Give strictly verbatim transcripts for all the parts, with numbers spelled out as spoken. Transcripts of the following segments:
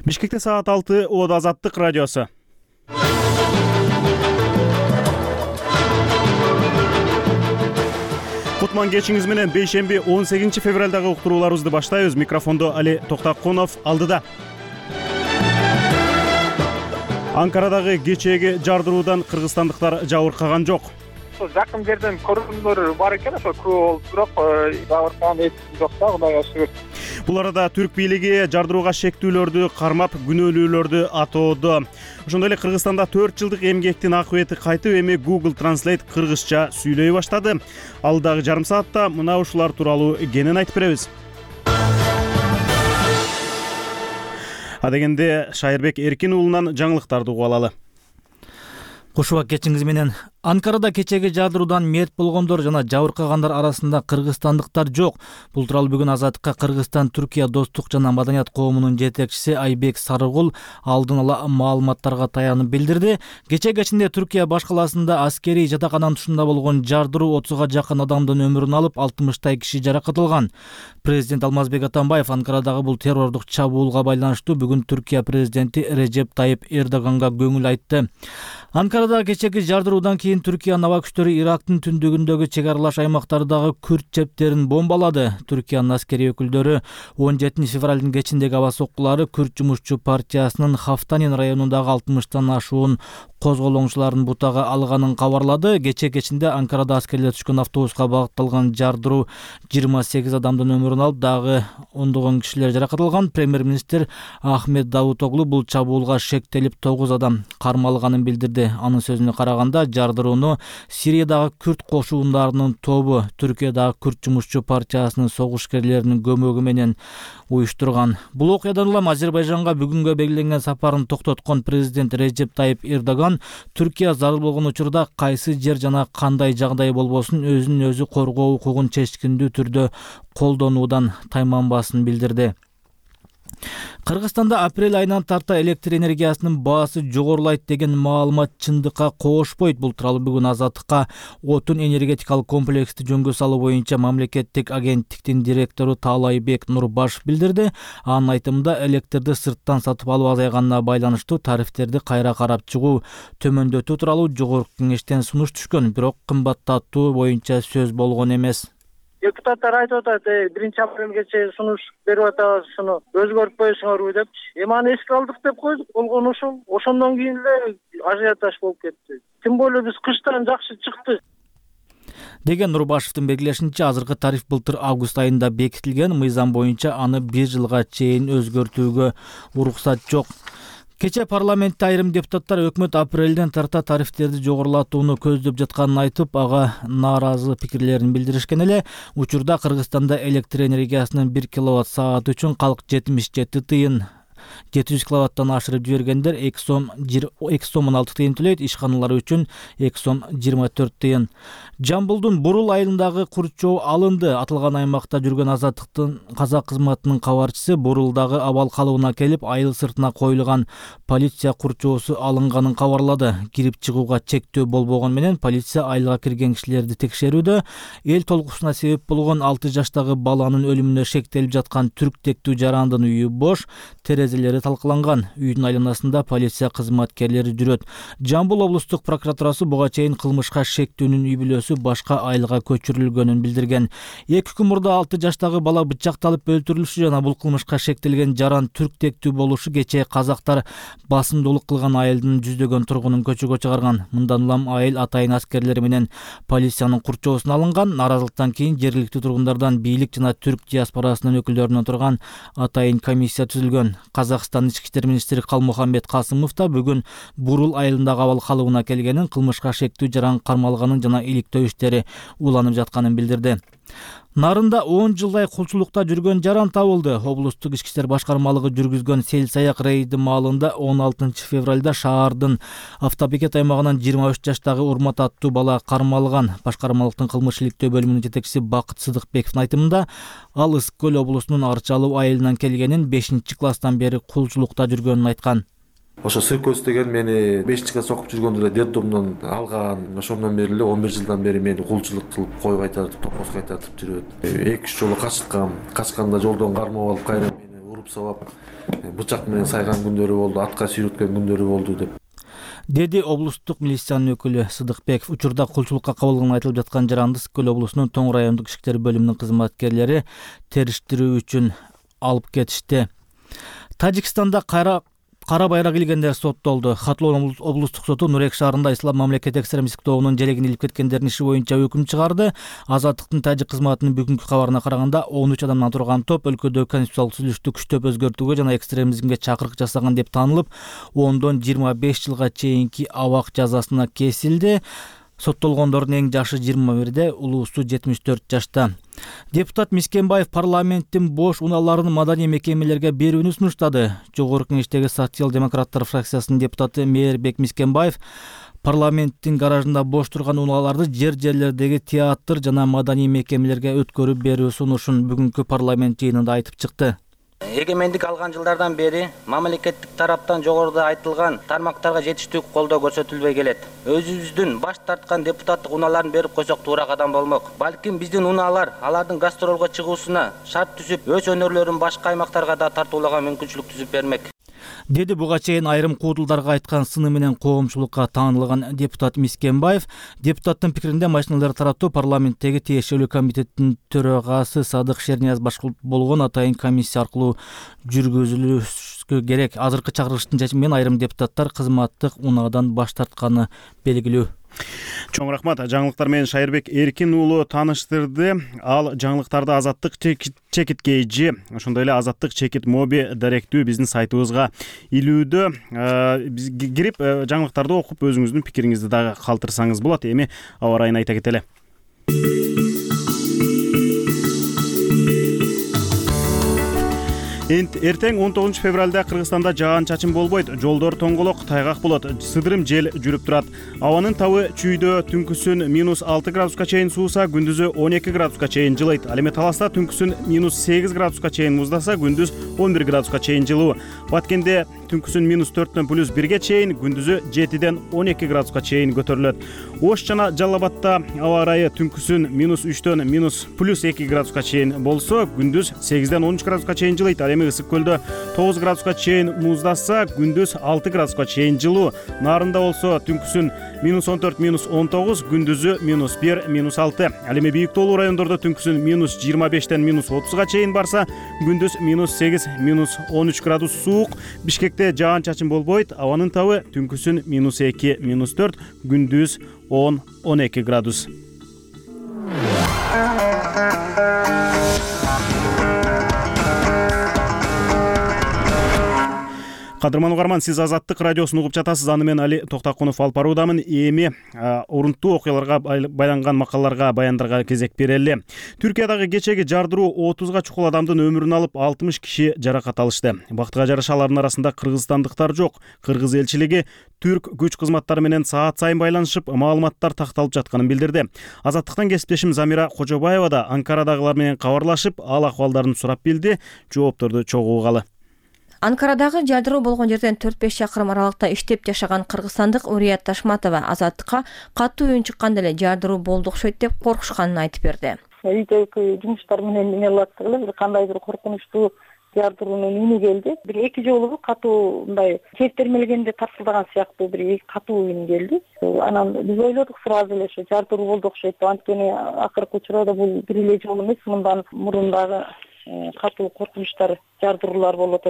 Бишкекте саат алты Ода Азаттык радиосу. Кутман кечиңиз менен бейшемби он сегизинчи февралдагы уктурууларыбызды баштайбыз. Микрофондо Али Токтакунов алдыда. Анкарадагы кечээги жардыруудан кыргызстандыктар жабыркаган жок. Жакын жерден көргөндөр бар экен, ошо көп болуп, бирок жабыркаган эч жок да, Кудайга шүгүр. Бул арада түрк бийлиги жардырууга шектүүлөрдү кармап, күнөөлүүлөрдү атоодо. Ошондой эле Кыргызстанда төрт жылдык эмгектин акыбети кайтып, эми Google Translate кыргызча сүйлөй баштады. Алдагы жарым саатта мына ушулар тууралуу кенен айтып беребиз. Адегенде Шайырбек Эркин уулунан жаңылыктарды угуп алалы. Кушуба кечиңиз менен. Анкарада кечеги жардыруудан мерт болгондор жана жабыркагандар арасында кыргызстандыктар жок. Бул тууралуу бүгүн Азаттыкка Кыргызстан Түркия достук жана маданият коомунун жетекчиси Айбек Сарыгул алдын ала маалыматтарга таянып билдирди. Кече кечинде Түркия баш каласында аскерий жатакананын тушунда болгон жардыруу отузга жакын адамдын өмүрүн алып, алтымыштай киши жаракат алган. Президент Алмазбек Атамбаев Анкарадагы бул террордук чабуулга байланыштуу бүгүн Түркия президенти Режеп Тайып Эрдоганга көңүл айтты. Анкарада кечеги жардыруудан кийин Түркия аба күчтөрү Ирактын түндүгүндөгү чек аралаш аймактардагы күрд чептерин бомбалады. Түркиянын аскерий өкүлдөрү он жетинчи февралдын кечиндеги аба соккулары Күрд жумушчу партиясынын Хафтанин районундагы алтымыштан ашуун козголоңчуларын бутага алганын кабарлады. Кече кечинде Анкарада аскерлер түшкөн автобуска багытталган жардыруу жыйырма сегиз адамдын өмүрүн алып, дагы ондогон кишилер жаракат алган. Премьер-министр Ахмет Давутоглу бул чабуулга шектелип тогуз адам кармалганын билдирди. Анын сөзүнө караганда, жардырууну Сириядагы күрд кошундарынын тобу Түркиядагы Күрд жумушчу партиясынын согушкерлеринин көмөгү менен уюштурган. Бул окуядан улам Азербайжанга бүгүнгө белгиленген сапарын токтоткон президент Режеп Тайып Эрдоган Түркия зарыл болгон учурда кайсы жер жана кандай жагдай болбосун өзүн өзү коргоо укугун чечкиндүү түрдө колдонуудан тайманбасын билдирди. Кыргызстанда апрель айынан тарта электр энергиясынын баасы жогорулайт деген маалымат чындыкка коошпойт. Бул тууралуу бүгүн Азаттыкка отун энергетикалык комплексти жөнгө салуу боюнча мамлекеттик агенттиктин директору Таалайбек Нурбашев билдирди. Анын айтымында, электрди сырттан сатып алуу азайганына байланыштуу тарифтерди кайра карап чыгуу, төмөндөтүү тууралуу жогорку кеңештен сунуш түшкөн, бирок кымбаттатуу боюнча сөз болгон эмес. Депутаттар айтып атат, биринчи апрелге чейин сунуш берип атабыз, уну өзгөртпөйсүңөрбү депчи. Эми аны эске алдык деп койдук, болгону ушул. Ошондон кийин эле ажиотаж болуп кетти. Тем более биз кыштан жакшы чыкты деген Нурбашевдин белгилешинче, азыркы тариф былтыр август айында бекитилген. Мыйзам боюнча аны бир жылга чейин өзгөртүүгө уруксат жок. Кече парламентте айрым депутаттар өкмөт апрелден тарта тарифтерди жогорулатууну көздөп жатканын айтып, ага нааразы пикирлерин билдиришкен эле. Учурда Кыргызстанда электр энергиясынын бир киловатт сааты үчүн калк жетимиш жети тыйын, жети жүз киловаттан ашырып жибергендер эки сом он алты тыйын төлөйт, ишканалар үчүн эки сом жыйырма төрт тыйын. Жамбылдын Бурул айылындагы курчоо алынды. Атылган аймакта жүргөн Азаттыктын казак кызматынын кабарчысы Бурулдагы абал калыбына келип, айыл сыртына коюлган полиция курчоосу алынганын кабарлады. Кирип чыгууга чектөө болбогон менен полиция айылга кирген кишилерди текшерүүдө. Эл толкусуна себеп болгон алты жаштагы баланын өлүмүнө шектелип жаткан түрктектүү жарандын үйү бош, терезелери талкаланган. Үйдүн айланасында полиция кызматкерлери жүрөт. Жамбыл облустук прокуратурасы буга чейин кылмышка шектүүнүн үй бүлөсү башка айылга көчүрүлгөнүн билдирген. Эки күн мурда алты жаштагы бала бычакталып өлтүрүлүшү жана бул кылмышка шектелген жаран түрктектүү болушу кечээ казактар басымдуулук кылган айылдын жүздөгөн тургунун көчөгө чыгарган. Мындан улам айыл атайын аскерлери менен полициянын курчоосуна алынган. Нааразылыктан кийин жергиликтүү тургундардан бийлик жана түрк диаспорасынын өкүлдөрүнөн турган атайын комиссия түзүлгөн. Казакстан ички иштер министри Калмухаммед Касымов да бүгүн Бурул айылындагы абал калыбына келгенин, кылмышка шектүү жаран кармалганын жана иликтөө иштери уланып жатканын билдирди. Нарында он жылдай кулчулукта жүргөн жаран табылды. Облустук ички иштер башкармалыгы жүргүзгөн сел саяк рейди маалында он алтынчы февралда шаардын автобекет аймагынан жыйырма үч жаштагы Урмат аттуу бала кармалган. Башкармалыктын кылмыш иликтөө бөлүмүнүн жетекчиси Бакыт Сыдыкбековдун айтымында, ал Ысык көл облусунун Арчалуу айылынан келгенин, бешинчи класстан бери кулчулукта жүргөнүн айткан. Ошо Сыркөз деген мени бешинчи класс окуп жүргөндө эле детдомдон алган. Ошондон бери эле он бир жылдан бери мени кулчулук кылып койуп кайтартып, топоз кайтартып жүрөт. эки үч жолу качкам. Качканда жолдон кармап алып, кайра мени уруп сабап бычак менен сайган күндөрү болду, атка сүйрөткөн күндөрү болду деп деди облустук милициянын өкүлү Сыдыкбеков. Учурда кулчулукка кабылган айтылып жаткан жаранды Ысык көл облусунун Тоң райондук ички иштер бөлүмүнүн кызматкерлери териштирүү үчүн алып кетишти. Тажикстанда кайра Кара байрак илгендер соттолду. Хатлоон облустук соту Нурек шаарында ислам мамлекет экстремисттик тобунун желегин илип кеткендердин иши боюнча өкүм чыгарды. Азаттыктын тажик кызматынын бүгүнкү кабарына караганда он үч адамдан турган топ өлкөдө конституциялык түзүлүштү күчтөп өзгөртүүгө жана экстремизмге чакырык жасаган деп таанылып, ондон жыйырма беш жылга чейинки абак жазасына кесилди. Соттолгондордун эң жашы жыйырма бирде, улуусу жетимиш төрт жашта. Депутат Мискенбаев парламенттин бош унааларын маданий мекемелерге берүүнү сунуштады. Жогорку Кеңештеги социал-демократтар фракциясынын депутаты Мээрбек Мискенбаев парламенттин гаражында бош турган унааларды жер-жерлердеги театр жана маданий мекемелерге өткөрүп берүү сунушун бүгүнкү парламент жыйынында айтып чыкты. Эгемендик алган жылдардан бери мамлекеттик тараптан жогоруда айтылган тармактарга жетиштүү колдоо көрсөтүлбөй келет. Өзүбүздүн баш тарткан депутаттык унааларын берип койсок туура кадам болмок. Балким биздин унаалар алардын гастролго чыгуусуна шарт түзүп, өз өнөрлөрүн башка аймактарга да тартуулага мүмкүнчүлүк түзүп бермек. Деди буга чейин айрым куудулдарга айткан сыны менен коомчулукка таанылган депутат Мискенбаев. Депутаттын пикиринде машиналарды таратуу парламенттеги тиешелүү комитеттин төрагасы Садык Шернияз башкарып болгон атайын комиссия аркылуу жүргүзүлүшү керек. Азыркы чакырылыштын чечими менен айрым депутаттар кызматтык унаадан баш тартканы белгилүү. Чоң рахмат. Жаңылыктар менен Шайырбек Эркин уулу тааныштырды. Ал жаңылыктарды Азаттык чекит кейжи, ошондой эле Азаттык чекит моби даректүү биздин сайтыбызга илүүдө. Биз кирип жаңылыктарды окуп өзүңүздүн пикириңизди дагы калтырсаңыз болот. Эми аба ырайын айта кетели. Эртең он тогузунчу февралда Кыргызстанда жаан-чачын болбойт, жолдор тоңголок, тайгак болот, сыдырым жел жүрүп турат. Абанын табы чүйдө түнкүсүн минус алты градуска чейин сууса, күндүзү он эки градуска чейин жылыйт. Ал эми Таласта түнкүсүн минус сегиз градуска чейин муздаса, күндүз он бир градуска чейин жылуу. Баткенде түнкүсүн минус төрттөн плюс бирге чейин, күндүзү жетиден он эки градуска чейин көтөрүлөт. Ош жана Жалал Абадта аба ырайы түнкүсүн минус үчтөн минус плюс эки градуска чейин болсо, күндүз сегизден он үч градуска чейин жылыйт. Ысык көлдө тогуз градуска чейин муздаса, күндүз алты градуска чейин жылуу. Нарында болсо түнкүсүн минус он төрт минус он тогуз, күндүзү минус бир минус алты. Ал эми бийик тоолуу райондордо түнкүсүн минус жыйырма бештен минус отузга чейин барса, күндүз минус сегиз минус он үч градус суук. Бишкекте жаан-чачын болбойт, абанын табы түнкүсүн минус эки минус төрт, күндүз он он эки градус. Кадырман угарман, сиз Азаттык радиосун угуп жатасыз. Аны мен Али Токтакунов алып баруудамын. Эми урунттуу окуяларга байланган макалаларга, баяндарга кезек берели. Түркиядагы кечеги жардыруу отузга чукул адамдын өмүрүн алып, алтымыш киши жаракат алышты. Бактыга жараша алардын арасында кыргызстандыктар жок. Кыргыз элчилиги түрк күч кызматтары менен саат сайын байланышып, маалыматтар такталып жатканын билдирди. Азаттыктан кесиптешим Замира Кожобаева да Анкарадагылар менен кабарлашып, ал акыбалдарын сурап билди. Жоопторду чогуу угалы. Анкарадагы жардыруу болгон жерден төрт беш чакырым аралыкта иштеп жашаган кыргызстандык Урият Ташматова Азаттыкка катуу үн чыкканда эле жардыруу болду окшойт деп коркушканын айтып берди. Үйдөгү жумуштар менен эмне кылат эле, бир кандайдыр коркунучтуу жардыруунун үнү келди. Бир эки жолу катуу мындай чептермелгенде тарсылдаган сыяктуу бир катуу үн келди. Анан биз ойлодук сразу эле ошо жардыруу болду окшойт деп. Анткени акыркы учурда бул бир эле жолу эмес, мындан мурун дагы катуу коркунучтар, жардыруулар болот.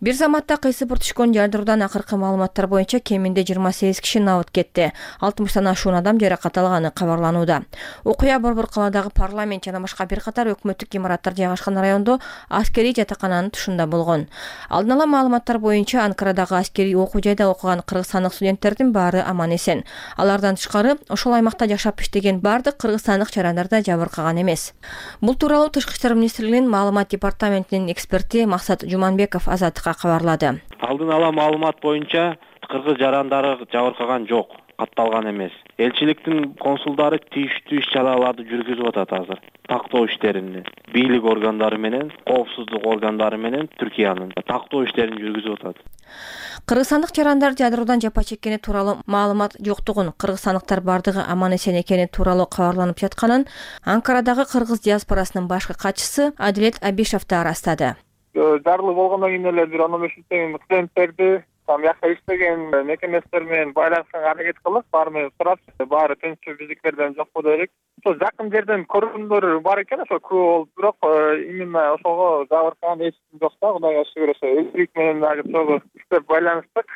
Бир заматта кыйсыпыр түшкөн жардыруудан акыркы маалыматтар боюнча кеминде жыйырма сегиз киши набыт кетти. алтымыштан ашуун адам жаракат алганы кабарланууда. Окуя Борбор калаадагы парламент жана башка бир катар өкмөттүк имараттар жайгашкан райондо аскерий жатакананын тушунда болгон. Алдын ала маалыматтар боюнча Анкарадагы аскерий окуу жайда окуган кыргызстандык студенттердин баары аман эсен. Алардан тышкары ошол аймакта жашап иштеген бардык кыргызстандык жарандар да жабыркаган эмес. Бул тууралуу Тышкы иштер министрлигинин маалымат департаментинин эксперти Максат Жуманбеков Азаттыкка кабарлады. Алдын ала маалымат боюнча кыргыз жарандары жабыркаган жок, катталган эмес. Элчиликтин консулдары тийиштүү иш-чараларды жүргүзүп атат азыр. Тактоо иштерин бийлик органдары менен, коопсуздук органдары менен Түркиянын тактоо иштерин жүргүзүп атат. Кыргызстандык жарандар жардыруудан жапа чеккени тууралуу маалымат жоктугун, кыргызстандыктар бардыгы аман эсен экени тууралуу кабарланып жатканын Анкарадагы кыргыз диаспорасынын башкы катчысы Адилет Абишев да ырастады. жарылуу болгондон кийин эле бир он беш мүнөттөн кийин клиенттерди там жакта иштеген мекемелер менен байланышканга аракет кылып, баары менен сурап, баары тынччы, биздиктерден жокпу дедик. Ошо жакын жерден көргөндөр бар экен, ошо көп болуп, бирок именно ошого жабыркаган эч ким жок да, Кудайга шүгүр. Ошо элчилик менен дагы чогуу иштеп байланыштык.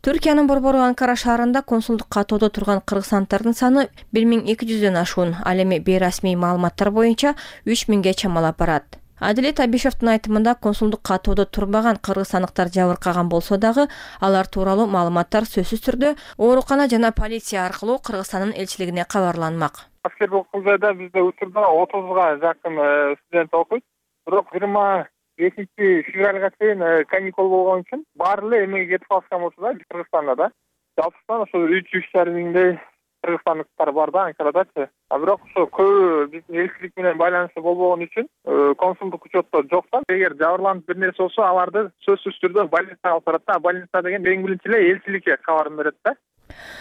Түркиянын борбору Анкара шаарында консулдук катоодо турган кыргызстандардын саны бир миң эки жүздөн ашуун. Ал эми бейрасмий маалыматтар боюнча үч миңге чамалап барат. Адилет Абишевдин айтымында консулдук катоодо турбаган кыргызстандыктар жабыркаган болсо дагы, алар тууралуу маалыматтар сөзсүз түрдө оорукана жана полиция аркылуу Кыргызстандын элчилигине кабарланмак. Аскербек Кулжайда бизде учурда отузга жакын студент окуйт. Бирок жыйырма бешинчи февралга чейин каникул болгон үчүн баары эле эмеге кетип калышкан болчу да, Кыргызстанда да. Жалпысынан ошо үч үч жарым миңдей кыргызстандыктар бар да Анкарадачы. А бирок ошо көбү биздин элчилик менен байланышы болбогон үчүн консулдук учетто жок да. Эгер жабырланып бир нерсе болсо, аларды сөзсүз түрдө больницага алып барат да. Больница деген эң биринчи эле элчиликке кабарын берет да.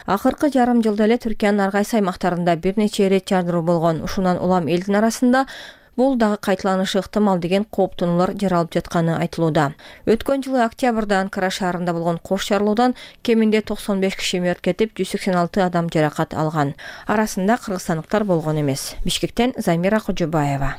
Акыркы жарым жылда эле Түркиянын ар кайсы аймактарында бир нече ирет жардыруу болгон. Ушундан улам элдин арасында бул дагы кайталанышы ыктымал деген кооптонуулар жаралып жатканы айтылууда. Өткөн жылы октябрда Анкара шаарында болгон кош жарылуудан кеминде токсон беш киши мерт кетип, жүз сексен алты адам жаракат алган. Арасында кыргызстандыктар болгон эмес. Бишкектен Замира Кожобаева.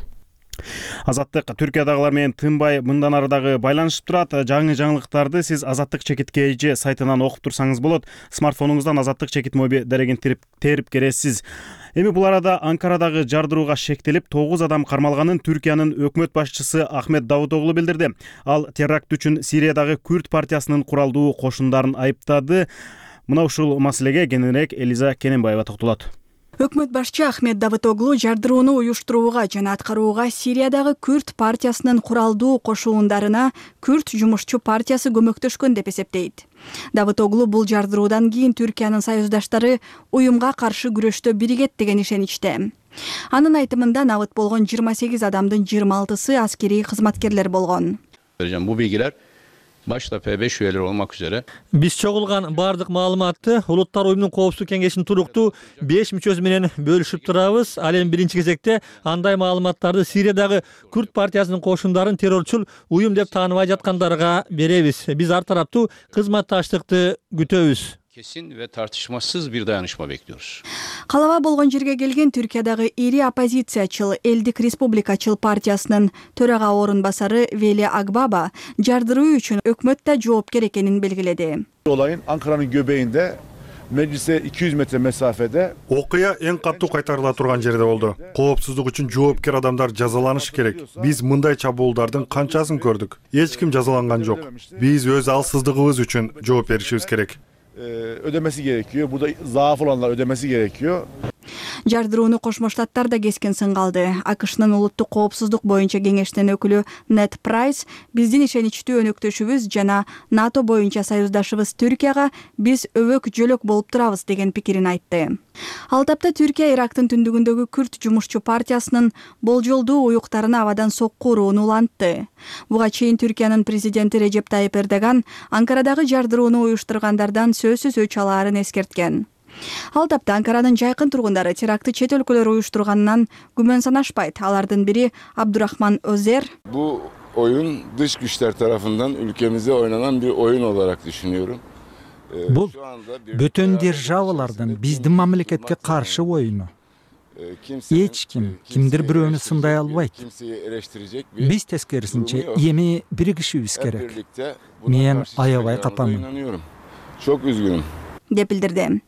Азаттык Түркиядагылар менен тынбай мындан ары дагы байланышып турат. Жаңы жаңылыктарды сиз Азаттык чекит kg сайтынан окуп турсаңыз болот. Смартфонуңуздан Азаттык чекит моби дерегин терип кересиз. Эми бул арада Анкарадагы жардырууга шектелип тогуз адам кармалганын Түркиянын өкмөт башчысы Ахмет Давутоглу билдирди. Ал теракт үчүн Сириядагы Күрд партиясынын куралдуу кошундарын айыптады. Мына ушул маселеге кененирээк Элиза Кененбаева токтолот. Өкмөт башчы Ахмет Давутоглу жардырууну уюштурууга жана аткарууга Сириядагы Күрд партиясынын куралдуу кошуундарына Күрд жумушчу партиясы көмөктөшкөн деп эсептейт. Давутоглу бул жардыруудан кийин Түркиянын союздаштары уюмга каршы күрөштө биригет деген ишеничте. Анын айтымында набыт болгон жыйырма сегиз адамдын жыйырма алтысы аскерий кызматкерлер болгон. Bu bilgiler başta P beş üyeleri olmak üzere Биз чогулган бардык маалыматты Улуттар уюмунун коопсуздук кеңешинин туруктуу беш мүчөсү менен бөлүшүп турабыз. Ал эми биринчи кезекте андай маалыматтарды Сириядагы Күрд партиясынын кошундарын террорчул уюм деп тааныбай жаткандарга беребиз. Биз ар тараптуу кызматташтыкты күтөбүз. Kesin ve tartışmasız bir dayanışma bekliyoruz. Калаба болгон жерге келген Түркиядагы ири оппозициячыл Элдик Республикачыл партиясынын төрага орун басары Вели Агбаба жардыруу үчүн өкмөт да жоопкер экенин белгиледи. Olayın Ankara'nın göbeğinde meclise iki yüz metre mesafede окуя эң катуу кайтарыла турган жерде болду. Коопсуздук үчүн жоопкер адамдар жазаланышы керек. Биз мындай чабуулдардын канчасын көрдүк. Эч ким жазаланган жок. Биз өз алсыздыгыбыз үчүн жооп беришибиз керек. ödemesi gerekiyor. Burada zaaf olanlar ödemesi gerekiyor. Жардырууну Кошмо Штаттар да кескен сынга алды. АКШнын улуттук коопсуздук боюнча кеңештин өкүлү Нет Прайс биздин ишеничтүү өнөктөшүбүз жана НАТО боюнча союздашыбыз Түркияга биз өбөк жөлөк болуп турабыз деген пикирин айтты. Ал тапта Түркия Ирактын түндүгүндөгү Күрд жумушчу партиясынын болжолдуу уюктарына абадан сокку урууну улантты. Буга чейин Түркиянын президенти Режеп Тайип Эрдоган Анкарадагы жардырууну уюштургандардан сөзсүз өч алаарын эскерткен. Ал тапта Анкаранын жайкын тургундары терактты чет өлкөлөр уюштурганынан күмөн санашпайт. Алардын бири Абдурахман Өзер. Bu oyun dış güçler tarafından ülkemize oynanan bir oyun olarak düşünüyorum. Бул бүтүн державалардын биздин мамлекетке каршы оюну. Эч ким кимдир бирөөнү сындай албайт. Биз тескерисинче эми биригишибиз керек. Мен аябай капамын. Çok üzgünüm. деп билдирди.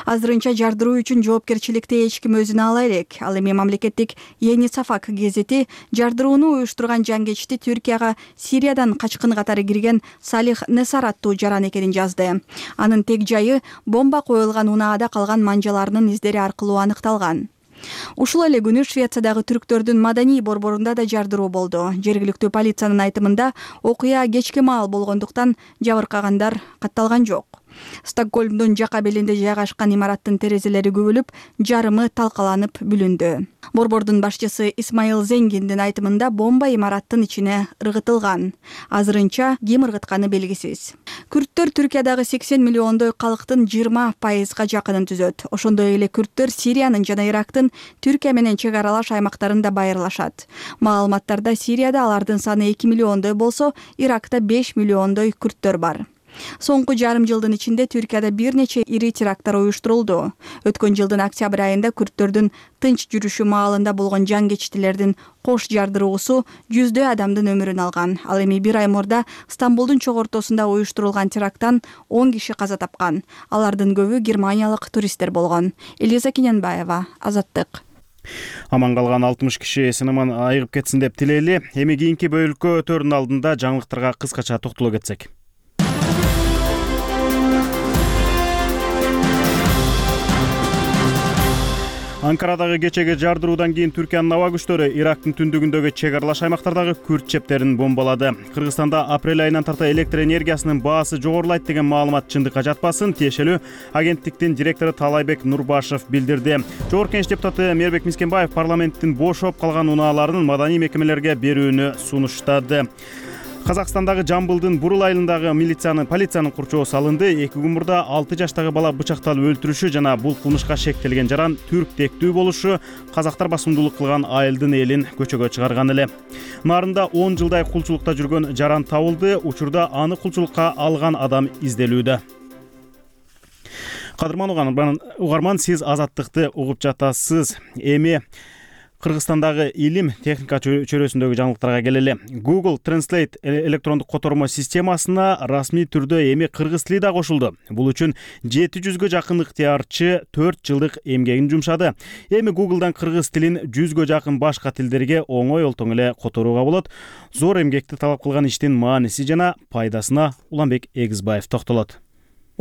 Азырынча жардыруу үчүн жоопкерчиликти эч ким өзүнө ала элек. Ал эми мамлекеттик Yeni Safak гезити жардырууну уюштурган жангечти Түркияга Сириядан качкын катары кирген Салих Несар аттуу жаран экенин жазды. Анын тег жайы бомба коюлган унаада калган манжаларынын издери аркылуу аныкталган. Ушул эле күнү Швециядагы түрктөрдүн маданий борборунда да жардыруу болду. Жергиликтүү полициянын айтымында окуя кечке маал болгондуктан жабыркагандар катталган жок. Стокгольмдун жака белинде жайгашкан имараттын терезелери күбүлүп, жарымы талкаланып бүлүндү. Борбордун башчысы Исмаил Зенгиндин айтымында бомба имараттын ичине ыргытылган. Азырынча ким ыргытканы белгисиз. Күрттөр Түркиядагы сексен миллиондой калктын жыйырма пайызга жакынын түзөт. Ошондой эле күрттөр Сириянын жана Ирактын Түркия менен чек аралаш аймактарында байырлашат. Маалыматтарда Сирияда алардын саны эки миллиондой болсо, Иракта беш миллиондой күрттөр бар. Соңку жарым жылдын ичинде Түркияда бир нече ири теракттар уюштурулду. Өткөн жылдын октябрь айында күрттөрдүн тынч жүрүшү маалында болгон жангечтилердин кош жардыруусу жүздөй адамдын өмүрүн алган. Ал эми бир ай мурда Стамбулдун чок ортосунда уюштурулган теракттан он киши каза тапкан. Алардын көбү германиялык туристтер болгон. Элиза Кененбаева, Азаттык. Аман калган алтымыш киши эсин аман айыгып кетсин деп тилейли. Эми кийинки бөлүккө өтөрдүн алдында жаңылыктарга кыскача токтоло кетсек. Анкарадагы кечеги жардыруудан кийин Түркиянын аба күчтөрү Ирактын түндүгүндөгү чек аралаш аймактардагы күрт чептерин бомбалады. Кыргызстанда апрель айынан тарта электр энергиясынын баасы жогорулайт деген маалымат чындыкка жатпасын, тиешелүү агенттиктин директору Талайбек Нурбашев билдирди. Жогорку Кеңеш депутаты Мээрбек Мискенбаев парламенттин бошоп калган унааларын маданий мекемелерге берүүнү сунуштады. Казакстандагы Жамбылдын Бурул айылындагы милициянын полициянын курчоо салынды. Эки күн мурда алты жаштагы бала бычакталып өлтүрүшү жана бул кылмышка шектелген жаран түрк тектүү болушу казактар басымдуулук кылган айылдын элин көчөгө чыгарган эле. Нарында он жылдай кулчулукта жүргөн жаран табылды. Учурда аны кулчулукка алган адам изделүүдө. Кадырман угарман, сиз Азаттыкты угуп жатасыз. Эми Кыргызстандагы илим техника чөйрөсүндөгү жаңылыктарга келели. Google Translate электрондук котормо системасына расмий түрдө эми кыргыз тили да кошулду. Бул үчүн жети жүзгө жакын ыктыярчы төрт жылдык эмгегин жумшады. Эми Google'дан кыргыз тилин жүзгө жакын башка тилдерге оңой олтоң эле которууга болот. Зор эмгекти талап кылган иштин мааниси жана пайдасына Уланбек Эгизбаев токтолот.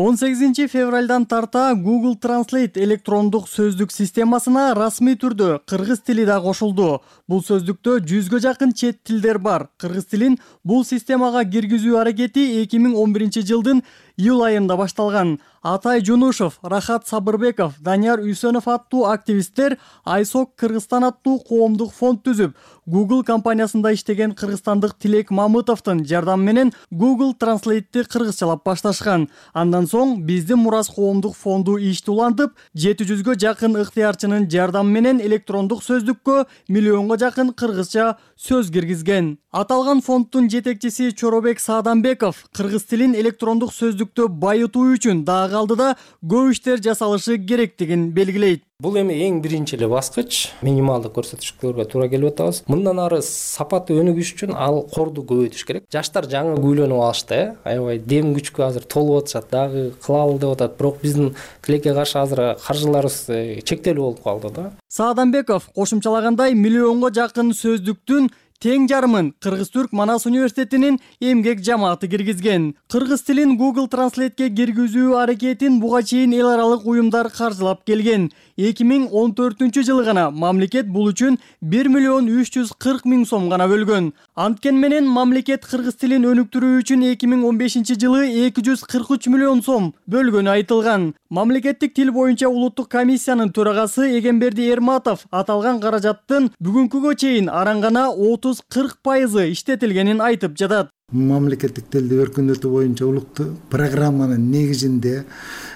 он сегизинчи февралдан тарта Google Translate электрондук сөздүк системасына расмий түрдө кыргыз тили да кошулду. Бул сөздүктө жүзгө жакын чет тилдер бар. Кыргыз тилин бул системага киргизүү аракети эки миң он биринчи жылдын июль айында башталган. Атай Жунушев, Рахат Сабырбеков, Данияр Үйсөнов аттуу активисттер Айсок Кыргызстан аттуу коомдук фонд түзүп, Google компаниясында иштеген кыргызстандык Тилек Мамытовдун жардамы менен Google Translate'ти кыргызчалап башташкан. Андан соң биздин Мурас коомдук фонду ишти улантып, жети жүзгө жакын ыктыярчынын жардамы менен электрондук сөздүккө миллионго жакын кыргызча сөз киргизген. Аталган фонддун жетекчиси Чоробек Саадамбеков кыргыз тилин электрондук сөздүктө байытуу үчүн дагы алдыда көп иштер жасалышы керектигин белгилейт. Бул эми эң биринчи эле баскыч, минималдык көрсөткүчкөлөргө туура келип атабыз. Мындан ары сапаты өнүгүш үчүн ал корду көбөйтүш керек. Жаштар жаңы күйлөнүп алышты, э, аябай дем күчкө азыр толуп атышат, дагы кылалы деп атат. Бирок биздин тилекке каршы азыр каржыларыбыз чектелүү болуп калды да. Саадамбеков кошумчалагандай миллионго жакын сөздүктүн тең жарымын Кыргыз-Түрк Манас университетинин эмгек жамааты киргизген. Кыргыз тилин Google Translate'ке киргизүү аракетин буга чейин эл аралык уюмдар каржылап келген. эки миң он төртүнчү жылы гана мамлекет бул үчүн бир миллион үч жүз кырк миң сом гана бөлгөн. Анткен менен мамлекет кыргыз тилин өнүктүрүү үчүн эки миң он бешинчи жылы эки жүз кырк үч миллион сом бөлгөнү айтылган. Мамлекеттик тил боюнча улуттук комиссиянын төрагасы Эгемберди Эрматов аталган каражаттын бүгүнкүгө чейин арангана отуз кырк пайызы иштетилгенин айтып жатат. Мамлекеттик тилди өркүндөтүү боюнча улуттук программанын негизинде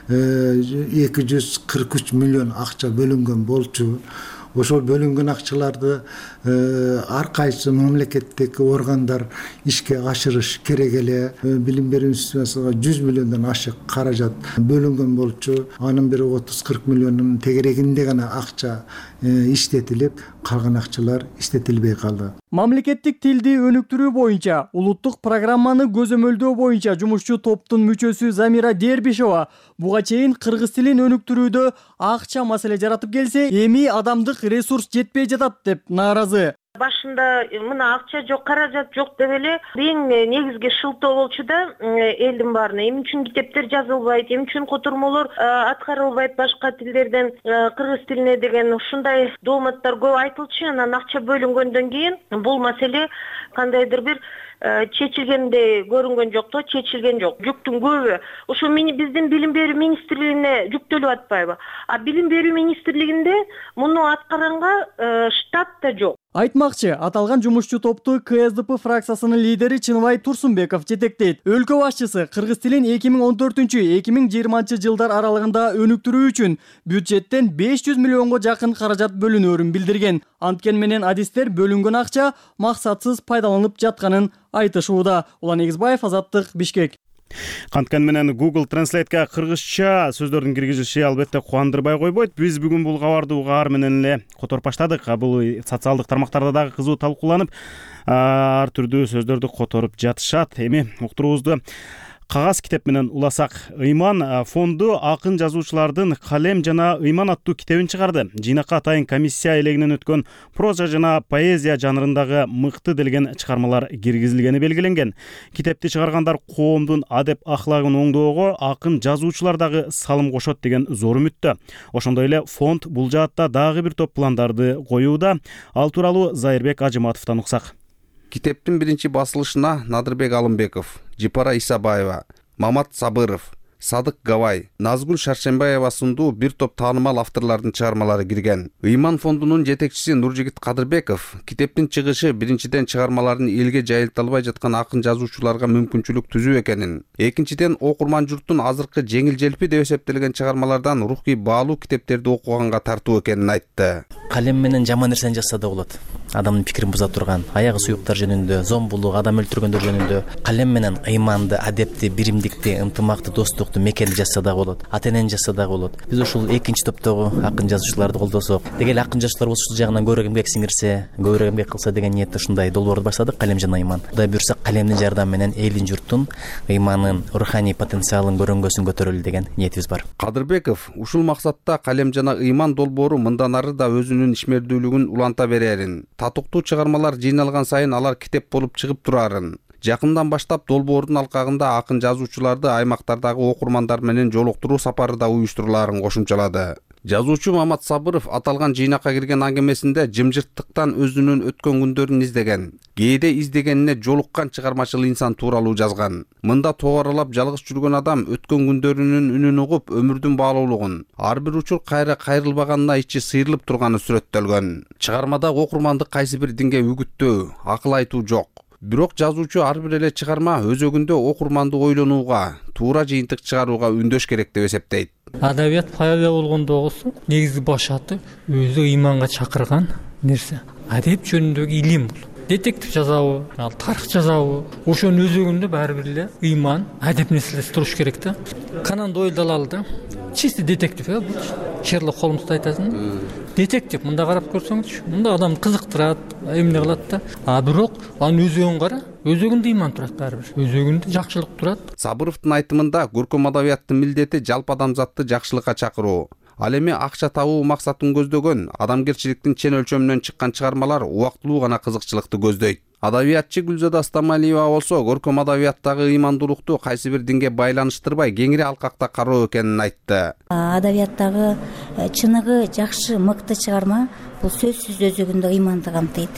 эки жүз кырк үч миллион акча бөлүнгөн болчу. Ошол бөлүнгөн акчаларды ар кайсы мамлекеттик органдар ишке ашырыш керек эле. Билим берүү институциясына жүз миллиондон ашык каражат бөлүнгөн болчу. Анын бир отуз кырк миллионунун тегерегинде гана акча иштетилип, калган акчалар иштетилбей калды. Мамлекеттик тилди өнүктүрүү боюнча улуттук программаны көзөмөлдөө боюнча жумушчу топтун мүчөсү Замира Дербишова буга чейин кыргыз тилин өнүктүрүүдө акча маселе жаратып келсе, эми адамдык ресурс жетпей жатат деп нааразы. Башында мына акча жок, каражат жок деп эле эң негизги шылтоо болчу да элдин баарына. Эмне үчүн китептер жазылбайт, эмне үчүн котормолор аткарылбайт башка тилдерден кыргыз тилине деген ушундай дооматтар көп айтылчу. Анан акча бөлүнгөндөн кийин бул маселе кандайдыр бир чечилгендей көрүнгөн жок да, чечилген жок. Жүктүн көбү ошо биздин билим берүү министрлигине жүктөлүп атпайбы? А билим берүү министрлигинде муну аткаранга штат да жок. Айтмакчы, аталган жумушчу топту ка эс дэ пэ фракциясынын лидери Чыныбай Турсунбеков жетектейт. Өлкө башчысы кыргыз тилин эки миң он төртүнчү эки миң жыйырманчы жылдар аралыгында өнүктүрүү үчүн бюджеттен беш жүз миллионго жакын каражат бөлүнөөрүн билдирген. Анткени менен адистер бөлүнгөн акча максатсыз пайдаланылып жатканын айтышууда. Улан Эгизбаев, Азаттык, Бишкек. Канткан менен Google Translate'га кыргызча сөздөрдүн киргизилиши албетте кубандырбай койбойт. Биз бүгүн бул кабарды угаар менен эле которуп баштадык. Бул социалдык тармактарда дагы кызуу талкууланып, ар түрдүү сөздөрдү которуп жатышат. Эми уктуруубузду кагаз китеп менен уласак. Ыйман фонду акын жазуучулардын Калем жана Ыйман аттуу китебин чыгарды. Жыйнакка атайын комиссия элегинен өткөн проза жана поэзия жанрындагы мыкты делген чыгармалар киргизилгени белгиленген. Китепти чыгаргандар коомдун адеп ахлагын оңдоого акын жазуучулар дагы салым кошот деген зор үмүттө. Ошондой эле фонд бул жаатта дагы бир топ пландарды коюуда. Ал тууралуу Зайырбек Ажыматовдон уксак. Китептин биринчи басылышына Надырбек Алымбеков, Жипара Исабаева, Мамат Сабыров, Садык Гавай, Назгүл Шаршембаева сындуу бир топ таанымал авторлордун чыгармалары кирген. Ыйман фондунун жетекчиси Нуржигит Кадырбеков китептин чыгышы биринчиден чыгармаларын элге жайылта албай жаткан акын жазуучуларга мүмкүнчүлүк түзүү экенин, экинчиден окурман журттун азыркы жеңил желпи деп эсептелген чыгармалардан рухий баалуу китептерди окуганга тартуу экенин айтты. Калем менен жаман нерсени жазса да болот. Адамдын пикирин буза турган, аягы суюктар жөнүндө, зомбулук, адам өлтүргөндөр жөнүндө калем менен ыйманды, адепти, биримдикти, ынтымакты, достукту, мекенди жазса да болот, ата-энени жазса да болот. Биз ушул экинчи топтогу акын жазуучуларды колдосок, деги эле акын жазуучулар ушул жагынан көбүрөөк эмгек сиңирсе, көбүрөөк эмгек кылса деген ниетте ушундай долбоорду баштадык. Калем жана ыйман. Кудай буйрса, калемдин жардамы менен элдин, журттун ыйманын, руханий потенциалын көрөнгөсүн көтөрөлү деген ниетибиз бар. Кадырбеков ушул максатта Калем жана ыйман долбоору мындан ары да өзүнүн ишмердүүлүгүн уланта берерин, татыктуу чыгармалар жыйналган сайын алар китеп болуп чыгып турарын, жакындан баштап долбоордун алкагында акын жазуучуларды аймактардагы окурмандар менен жолуктуруу сапары да уюштурулаарын кошумчалады. Жазуучу Мамат Сабыров аталган жыйнакка кирген аңгемесинде жымжырттыктан өзүнүн өткөн күндөрүн издеген, кээде издегенине жолуккан чыгармачыл инсан тууралуу жазган. Мында тооралап жалгыз жүргөн адам өткөн күндөрүнүн үнүн угуп, өмүрдүн баалуулугун, ар бир учур кайра кайрылбаганына ичи сыйрылып турганы сүрөттөлгөн. Чыгармада окурманды кайсы бир динге үгүттөө, акыл айтуу жок. Бирок жазуучу ар бир эле чыгарма өзөгүндө окурманды ойлонууга, туура жыйынтык чыгарууга үндөш керек деп эсептейт. Адабият пайда болгондогусу негизги башаты өзү ыйманга чакырган нерсе. Адеп жөнүндөгү илим бул. Детектив жазабы, ал тарых жазабы, ошонун өзөгүндө баары бир эле ыйман, адеп нерселер туруш керек да. Конан Дойль далалы да. Чисти детектив э бул. Шерлок Холмсду айтасың. Детектив мында карап көрсөңүзчү, мында адам кызыктырат, эмне кылат да. А бирок анын өзөгүн кара, өзөгүндө ыйман турат баары бир. Өзөгүндө жакшылык турат. Сабыровдун айтымында көркөм адабияттын милдети жалпы адамзатты жакшылыкка чакыруу. Ал эми акча табуу максатын көздөгөн, адамгерчиликтин чен өлчөмүнөн чыккан чыгармалар убактылуу гана кызыкчылыкты көздөйт. Адабиятчы Гүлзада Стамалиева болсо көркөм адабияттагы ыймандуулукту кайсы бир динге байланыштырбай кеңири алкакта кароо экенин айтты. Адабияттагы чыныгы жакшы, мыкты чыгарма бул сөзсүз өзөгүндө ыйманды камтыйт.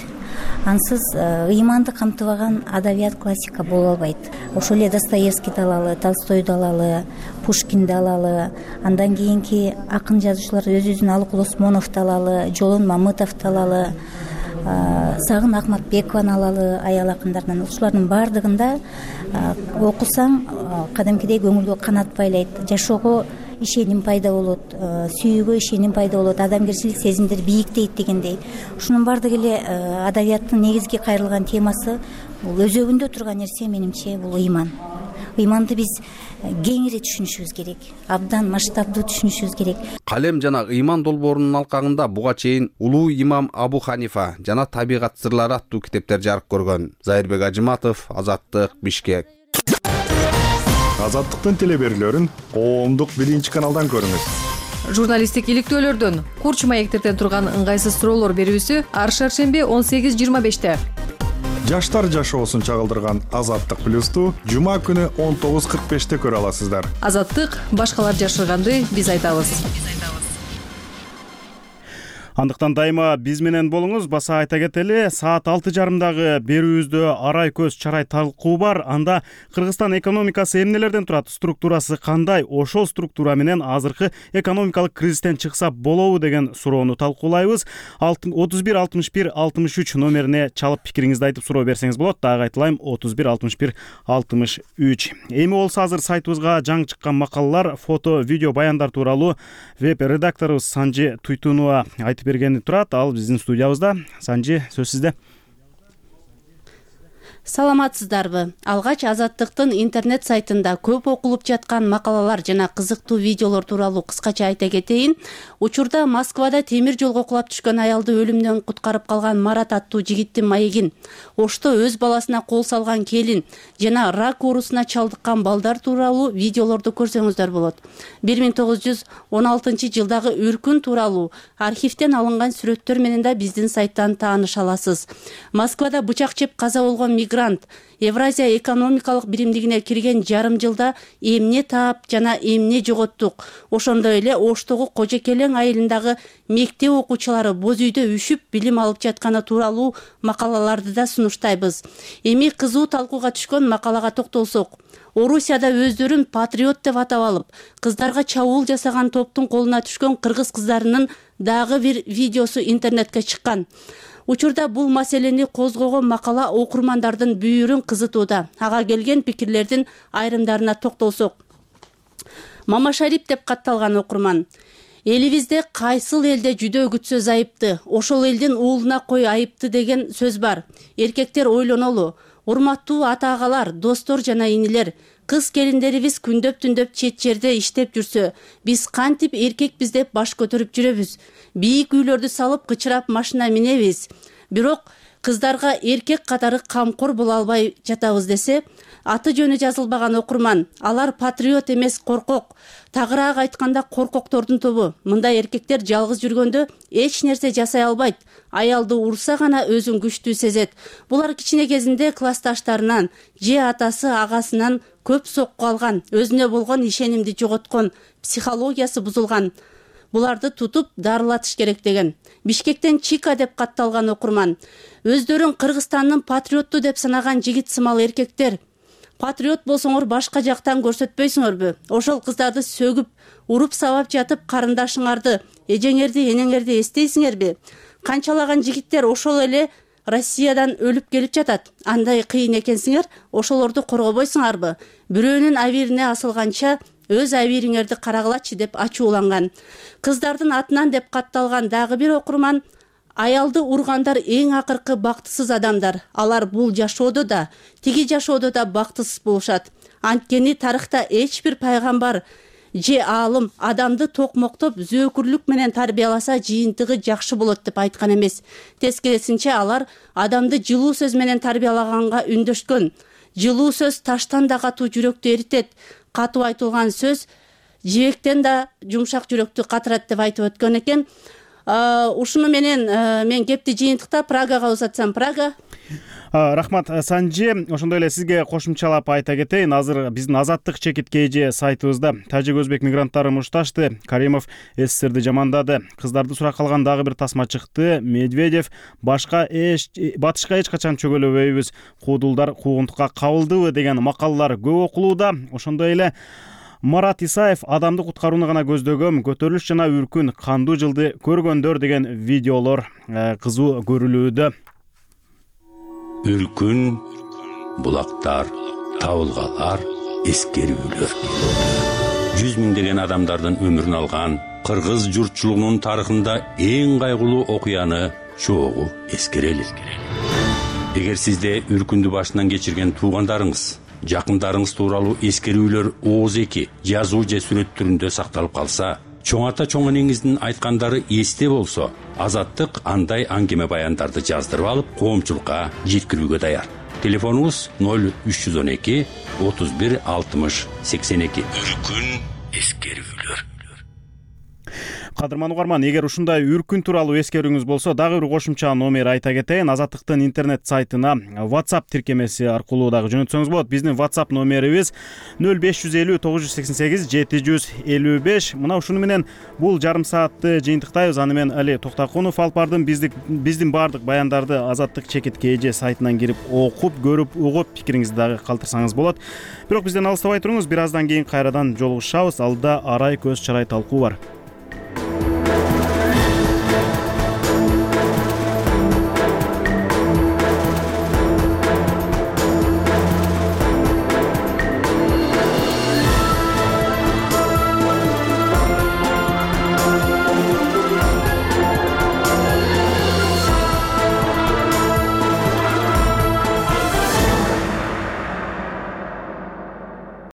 Ансыз ыйманды камтыбаган адабият классика боло албайт. Ошол эле Достоевскийди алалы, Толстойду алалы, Пушкинди алалы, андан кийинки акын жазуучулар өзүбүздүн Алыкул Осмоновду алалы, Жолон Мамытовду алалы, Сагын Акматбекованы алалы, аял акындарынан. Ушулардын баардыгында окусаң кадимкидей көңүлгө канат байлайт, жашоого ишеним пайда болот, сүйүүгө ишеним пайда болот, адамгерчилик сезимдер бийиктейт дегендей. Ушунун баардыгы эле адабияттын негизги кайрылган темасы бул өзөгүндө турган нерсе, менимче, бул ыйман. Ыйманды биз кеңири түшүнүшүбүз керек, абдан масштабдуу түшүнүшүбүз керек. Калем жана ыйман долбоорунун алкагында буга чейин Улуу имам Абу Ханифа жана Табигат сырлары аттуу китептер жарык көргөн. Зайырбек Ажыматов, Азаттык, Бишкек. Азаттыктын телеберүүлөрүн коомдук биринчи каналдан көрүңүз. Журналисттик иликтөөлөрдөн, курч маектерден турган ыңгайсыз суроолор берүүсү ар шаршемби он сегиз жыйырма беште. Жаштар жашоосун чагылдырган Азаттык плюсту жума күнү он тогуз кырк беште көрө аласыздар. Азаттык, башкалар жашырганды биз айтабыз. Андыктан дайыма биз менен болуңуз. Баса айта кетели, саат алты жарымдагы берүүбүздө арай көз чарай талкуу бар. Анда Кыргызстан экономикасы эмнелерден турат, структурасы кандай, ошол структура менен азыркы экономикалык кризистен чыкса болобу деген суроону талкуулайбыз. отуз бир алтымыш бир алтымыш үч номерине чалып пикириңизди айтып суроо берсеңиз болот. Дагы айтылайм, отуз бир алтымыш бир алтымыш үч. Эми болсо азыр сайтыбызга жаңы чыккан макалалар, фото, видео баяндар тууралуу веб редакторубуз Санжи Туйтунова айтып бергени турат. Ал биздин студиябызда. Санжи, сөз сизде. Саламатсыздарбы? Алгач Азаттыктын интернет сайтында көп окулуп жаткан макалалар жана кызыктуу видеолор тууралуу кыскача айта кетейин. Учурда Москвада темир жолго кулап түшкөн аялды өлүмдөн куткарып калган Марат аттуу жигиттин маегин, Ошто өз баласына кол салган келин жана рак оорусуна чалдыккан балдар тууралуу видеолорду көрсөңүздөр болот. бир миң тогуз жүз он алтынчы жылдагы үркүн тууралуу архивден алынган сүрөттөр менен да биздин сайттан тааныша аласыз. Москвада бычак жеп каза болгон мигрант Евразия экономикалык биримдигине кирген жарым жылда эмне таап жана эмне жоготтук. Ошондой эле Оштогу Кожекелең айылындагы мектеп окуучулары боз үйдө үшүп билим алып жатканы тууралуу макалаларды да сунуштайбыз. Эми кызуу талкууга түшкөн макалага токтолсок, Орусияда өздөрүн патриот деп атап алып, кыздарга чабуул жасаган топтун колуна түшкөн кыргыз кыздарынын дагы бир видеосу интернетке чыккан. Учурда бул маселени козгогон макала окурмандардын бүйүрүн кызытууда. Ага келген пикирлердин айрымдарына токтолсок. Мамашарип деп катталган окурман. Элибизде кайсыл элде жүдөө күтсө айыпты, ошол элдин уулуна кой айыпты деген сөз бар. Эркектер ойлонолу. Урматтуу ата-агалар, достор жана инилер, кыз келиндерибиз күндөп-түндөп чет жерде иштеп жүрсө, биз кантип эркекпиз деп баш көтөрүп жүрөбүз. Бийик үйлөрдү салып, кычырап машина минебиз. Бирок кыздарга эркек катары камкор боло албай жатабыз десе, аты жөнү жазылбаган окурман. Алар патриот эмес, коркок. Тагыраак айтканда коркоктордун тобу. Мындай эркектер жалгыз жүргөндө эч нерсе жасай албайт. Аялды урса гана өзүн күчтүү сезет. Булар кичине кезинде классташтарынан же атасы агасынан көп сокку алган, өзүнө болгон ишенимди жоготкон, психологиясы бузулган. Буларды тутуп дарылатыш керек деген. Бишкектен Чика деп катталган окурман. Өздөрүн Кыргызстандын патриотту деп санаган жигит сымал эркектер. Патриот болсоңор башка жактан көрсөтпөйсүңөрбү? Ошол кыздарды сөгүп, уруп сабап жатып карындашыңарды, эжеңерди, энеңерди эстейсиңерби? Канчалаган жигиттер ошол эле Россиядан өлүп келип жатат. Андай кыйын экенсиңер, ошолорду коргобойсуңарбы? Бирөөнүн абирине асылганча өз абириңерди карагылачы деп ачууланган. Кыздардын атынан деп катталган дагы бир окурман. Аялды ургандар эң акыркы бактысыз адамдар. Алар бул жашоодо да, тиги жашоодо да бактысыз болушат. Анткени тарыхта эч бир пайгамбар же аалым адамды токмоктоп зөөкүрлүк менен тарбияласа жыйынтыгы жакшы болот деп айткан эмес. Тескерисинче алар адамды жылуу сөз менен тарбиялаганга үндөшкөн. Жылуу сөз таштан да катуу жүрөктү эритет. Катуу айтылган сөз жибектен да жумшак жүрөктү катырат деп айтып өткөн экен. Ушуну менен мен кепти жыйынтыктап Прагага узатсам. Прага. Рахмат, Санжи. Ошондой эле сизге кошумчалап айта кетейин. Азыр биздин Азаттык чекиткейи сайтыбызда тажик өзбек мигранттары мушташты. Каримов СССРди жамандады. Кыздарды сурак калган дагы бир тасма чыкты. Медведев башка эч батышка эч качан чөгөлөбөйбүз. Куудулдар куугунтукка кабылдыбы деген макалалар көп окулууда. Ошондой эле Марат Исаев адамды куткарууну гана көздөгөм, көтөрүлүш жана үркүн кандуу жылды көргөндөр деген видеолор кызуу көрүлүүдө. Үркүн, булактар, табылгалар, эскерүүлөр. Жүз миңдеген адамдардын өмүрүн алган кыргыз журтчулугунун тарыхында эң кайгылуу окуяны чогуу эскерели. Эгер сизде үркүндү башынан кечирген туугандарыңыз, жакындарыңыз тууралуу эскерүүлөр ооз эки жазуу же сүрөт түрүндө сакталып калса, чоң ата чоң энеңиздин айткандары эсте болсо, Азаттык андай аңгеме баяндарды жаздырып алып, коомчулукка жеткирүүгө даяр. Телефонубуз ноль үч жүз он эки отуз бир алтымыш сексен эки. Үркүн эскерүүлөр. кадырман угарман, эгер ушундай үркүн тууралуу эскерүүңүз болсо, дагы бир кошумча номер айта кетейин. Азаттыктын интернет сайтына WhatsApp тиркемеси аркылуу дагы жөнөтсөңүз болот. Биздин WhatsApp номерибиз нөл беш жүз элүү тогуз жүз сексен сегиз жети жүз элүү беш. Мына ушуну менен бул жарым саатты жыйынтыктайбыз. Аны мен Али Токтокунов алып бардым. Биздин баардык баяндарды Азаттык чекитке эже сайтынан кирип окуп, көрүп, угуп, пикириңизди дагы калтырсаңыз болот. Бирок бизден алыстабай туруңуз, бир аздан кийин кайрадан жолугушабыз. Алда арай көз чарай талкуу бар.